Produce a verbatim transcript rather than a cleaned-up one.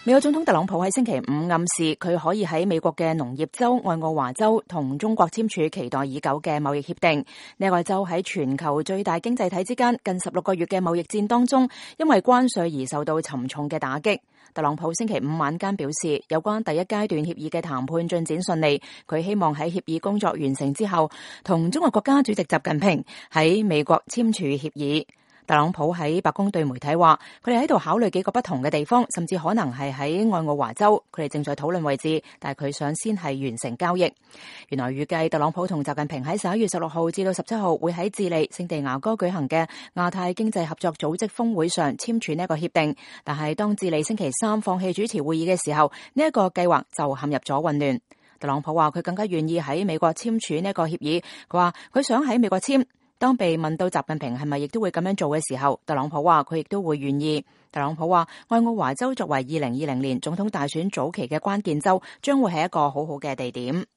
美國總統特朗普喺星期五暗示佢可以喺美國嘅農業州愛奧華州同中國簽署期待已久嘅貿易協定。呢個州喺全球最大經濟體之間近十六個月嘅貿易戰當中，因為關稅而受到沉重嘅打擊。特朗普星期五晚間表示，有關第一階段協議嘅談判進展順利，佢希望喺協議工作完成之後，同中國國家主席習近平喺美國簽署協議。特朗普喺白宮對媒體話，佢哋喺度考慮幾個不同嘅地方，甚至可能係喺愛奧華州，佢哋正在討論位置，但係佢想先係完成交易。原來預計特朗普同習近平喺十一月十六號至到十七號會喺智利聖地牙哥舉行嘅亞太經濟合作組織峰會上簽署呢一個協定，但係當智利星期三放棄主持會議嘅時候，呢一個計劃就陷入咗混亂。特朗普話佢更加願意喺美國簽署呢一個協議，佢話佢想喺美國簽。當被問到習近平係咪亦都會咁樣做嘅時候，特朗普話佢亦都會願意。特朗普話愛奧華州作為二零二零年總統大選早期嘅關鍵州，將會係一個好好嘅地點。